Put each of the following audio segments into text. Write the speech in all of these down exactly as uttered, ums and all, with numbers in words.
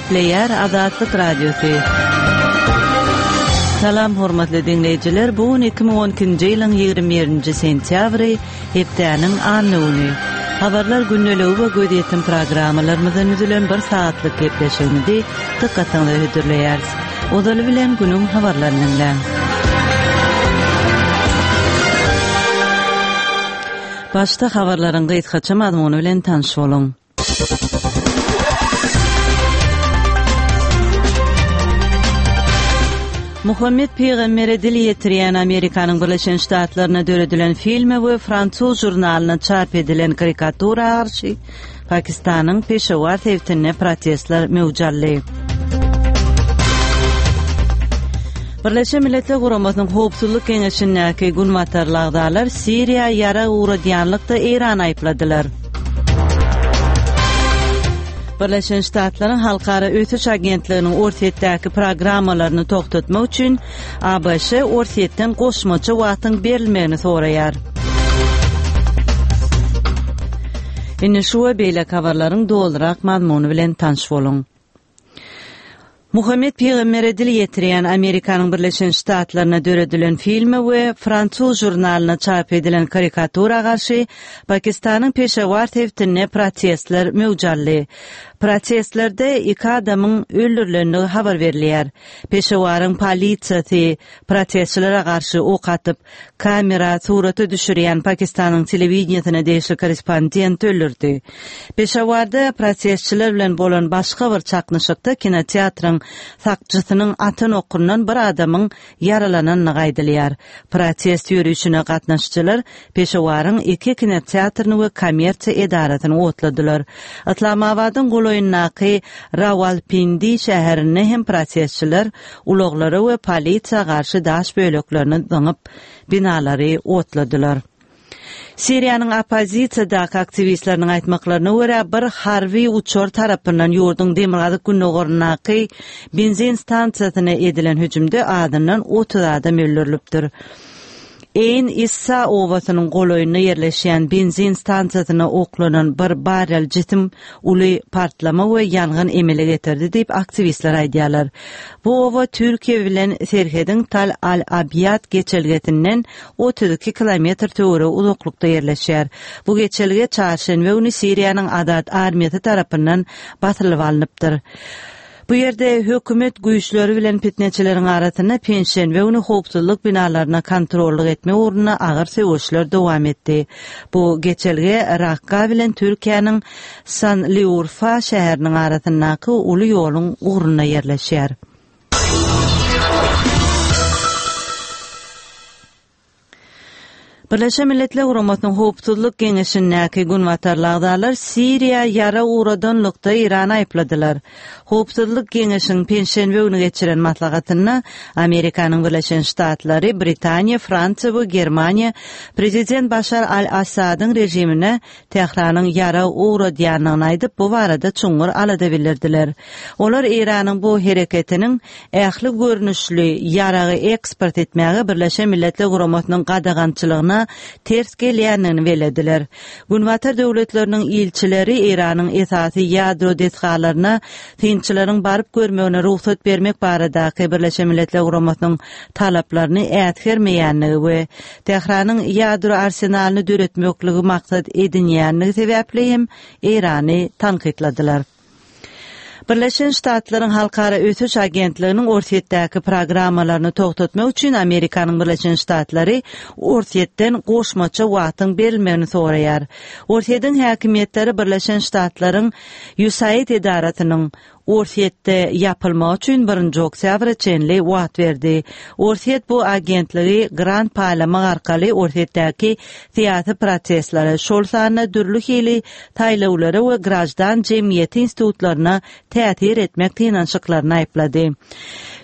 Gepleýär Azatlyk Radiosy. Salam hormatly diňleýjiler, bu gün iki müň on ikinji ýylyň ýigrimi birinji sentýabry, hepdäniň anna güni. Habarlar gündeligi we gözýetim programmalarymyzdan düzülen bir sagatlyk gepleşigimizi dykgatyňyza hödürleýäris. Ozaly bilen günüň habarlaryny diňläň. Başda habarlaryň gysgaça mazmuny bilen tanyş boluň. Muhammet pygambere dil ýetirýän Amerikanyň Birleşen Ştatlarynda döredilen filme we fransuz žurnalynda çap edilen karikatura garşy Pakistanyň Peşawar sebitinde protestler möwç aldy. Birleşen Milletler Guramasynyň Howpsuzlyk Geňeşindäki günbatarly agzalar Siriýa ýarag ugradýanlykda Eýrany aýypladylar. Birleşen Ştatlaryň Halkara Ösüş Agentliginiň Orsýetdäki programmalaryny togtatmak üçin A B Ş Orsýetden goşmaça wagtyň berilmegini soraýar. Indi şu we beýleki habarlaryň dolurak mazmuny bilen tanyş boluň. Muhammet pygambere dil ýetirýän Amerikanyň Birleşen Ştatlarynda döredilen filme we fransuz žurnalyna çap edilen karikatura garşy Pakistanyň Peşawar sebitinde protestler möwç aldy. Protestlerde iki adamyň öldürilendigi habar berilýär. Peşawaryň polisiýasy protestçilere garşy ok atyp, kamera surata düşürýän Pakistanyň telewideniýesine degişli korrespondent öldürdi. Peşawarda protestçiler bilen bolan başga bir çaknyşykda kinoteatryň sakçysynyň atan okundan bir adamyň ýaralanandygy aýdylýar. Protest ýörüşine gatnaşyjylar Peşawaryň iki kinoteatryny we kommersiýa edarasyny otladylar. Islamabadyň golaýyndaky Rawalpindi şäherinde hem protestçiler ulaglara we polisiýa garşy daş böleklerini zyňyp binalary otladylar. Siriýanyň oppozisiýadaky aktiwistleriniň aýtmaklaryna görä bir harby uçar tarapyndan ýurduň demirgazyk gündogaryndaky benzin stansiýasyna edilen hüjümde azyndan otuz adam öldürilipdir. Eyn Issa obasynyň golaýynda ýerleşýän benzin stansiýasyna oklanan bir barrel jisim uly partlama we ýangyn emele getirdi diýip aktiwistler aýdýarlar. Bu oba Türkiýe bilen serhediň Tal Al-Abyad geçelgesinden otuz iki kilometr töweregi uzaklykda ýerleşýär. Bu geçelge çarşenbe güni Siriýanyň Azat armiýasy tarapyndan basylyp alnypdyr. Bu ýerde hökümet güýçleri bilen fitneçileriň arasynda penşenbe güni howpsuzlyk binalaryna kontrollyk etme ugrunda agyr söweşler dowam etdi. Bu geçelge Rakka bilen Türkiýäniň Sanliurfa şäheriniň arasyndaky uly ýoluň ugrunda ýerleşýär. Birleşen Milletler Guramasynyň Howpsuzlyk Geňeşindäki günbatarly agzalar Siriýa ýara ugradanlykda Eýrany aýypladylar. Howpsuzlyk Geňeşiniň penşenbe güni geçiren maslahatynda Amerikanyň Birleşen Ştatlary, Britaniýa, Fransiýa we Germaniýa prezident Başar al-Assadyň režimine Tähranyň ýara ugradýandygyny aýdyp, bu barada çuňňur alada bildirdiler. Olar Eýranyň bu hereketiniň ähli görnüşli ýaragy eksport etmäge Birleşen Milletler Guramasynyň gadagançylygyna ters gelýändigini belediler. Günbatar döwletleriniň ilçileri Eýranyň esasy ýadro desgalaryna synçylaryň baryp görmegine rugsat bermek baradaky Birleşen Milletler Guramasynyň talaplaryny äsgermeýändigi we Tähranyň ýadro arsenalyny döretmekligi maksat edinýändigi sebäpli hem Eýrany tankytladylar. Birleşen Ştatlaryň Halkara Ösüş Agentliginiň Orsýetdäki programmalaryny togtatmak üçin Amerikanyň Birleşen Ştatlary Orsýetden goşmaça wagtyň berilmegini soraýar. Orsýetiň häkimiýetleri Birleşen Ştatlaryň USAID edarasynyň Orsýetde ýapylmagy üçin birinji oktýabra çenli wagt berdi. Orsýet bu agentligi grant paýlamak arkaly Orsýetdäki syýasy protestlere, şol sanda dürli hili saýlawlara we grajdan jemgyýeti institutlaryna täsir etmek synanyşyklaryny aýyplady.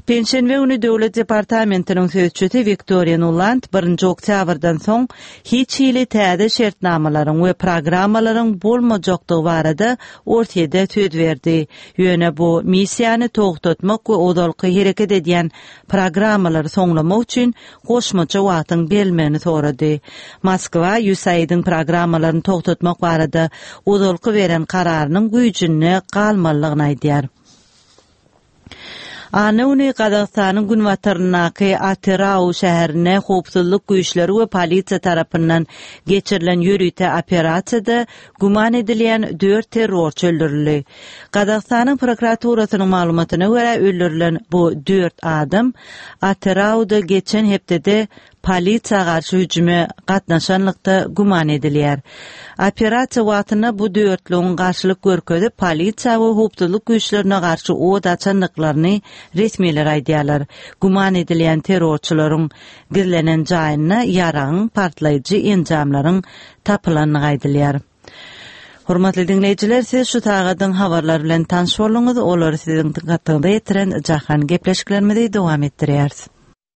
Penşenbe güni Döwlet departamentiniň sözçüsi Wiktoriýa Nuland birinji oktýabrdan soň hiç hili täze şertnamalaryň we programmalaryň bolmajakdygy barada Orsýete söz berdi. Ýöne bu missiýany togtatmak we ozalky hereket edýän programmalary soňlamak üçin goşmaça wagtyň berilmegini sorady. Moskwa USAID-iň programmalaryny togtatmak barada ozalky beren kararynyň güýjünde galmalydygyny aýdýar. Anna güni Gazagystanyň günbataryndaky Atyrau şäherinde howpsuzlyk güýçleri we polisiýa tarapyndan geçirilen ýörite operasiýada güman edilýän dört terrorçy öldürildi. Gazagystanyň prokuraturasynyň maglumatyna görä öldürilen bu dört adam Atyrauda geçen hepdede polisiýa garşy hüjüme gatnaşanlykda güman edilýär. Operasiýa wagtynda bu dörtlügiň garşylyk görkezip polisiýa we howpsuzlyk güýçlerine garşy od açandyklaryny resmiler aýdýarlar. Güman edilýän terrorçylaryň gizlenen jaýynda ýaragyň partlaýjy enjamlaryň tapylandygy aýdylýar. Hormatly dinleýjiler, siz şu sagadyň habarlar bilen tanyş bolduňyz. Olary siziň dykgatyňyza ýetiren Jahan gepleşiklerimizi dowam etdirýäris.